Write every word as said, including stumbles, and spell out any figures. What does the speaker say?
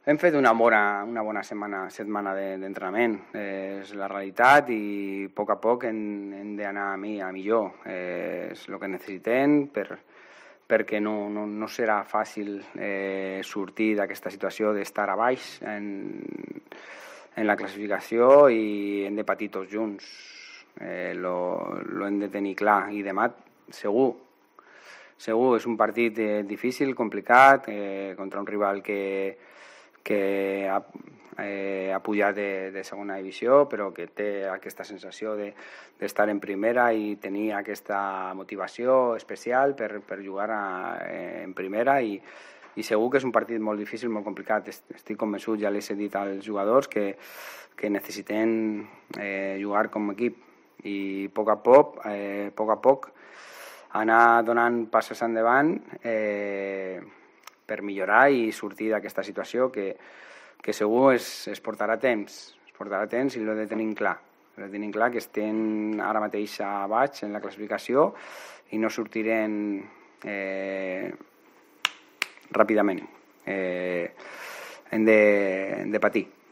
Hem fet una bona, una bona setmana, setmana d'entrenament, eh, és la realitat i a poc a poc hem, hem d'anar a, mi, a millor. Eh, és el que necessitem per, perquè no, no, no serà fàcil eh, sortir d'aquesta situació d'estar a baix en, en la classificació i hem de patir tots junts. Eh, lo, lo hem de tenir clar i demà segur. Segur, és un partit eh, difícil, complicat, eh, contra un rival que que ha, eh, ha pujat de, de segona divisió, però que té aquesta sensació d'estar de, en primera i tenir aquesta motivació especial per, per jugar a, eh, en primera i, i segur que és un partit molt difícil, molt complicat. Estic convençut, ja les he dit als jugadors, que, que necessitem eh, jugar com a equip i a poc a poc, eh, poc a poc anar donant passos endavant eh, per millorar i sortir d'aquesta situació que, que segur es, es portarà temps, es portarà temps i l'ho de tenir clar. L'ho de tenir clar que estem ara mateix a baix en la classificació i no sortirem eh, ràpidament. Eh, hem de, hem de patir.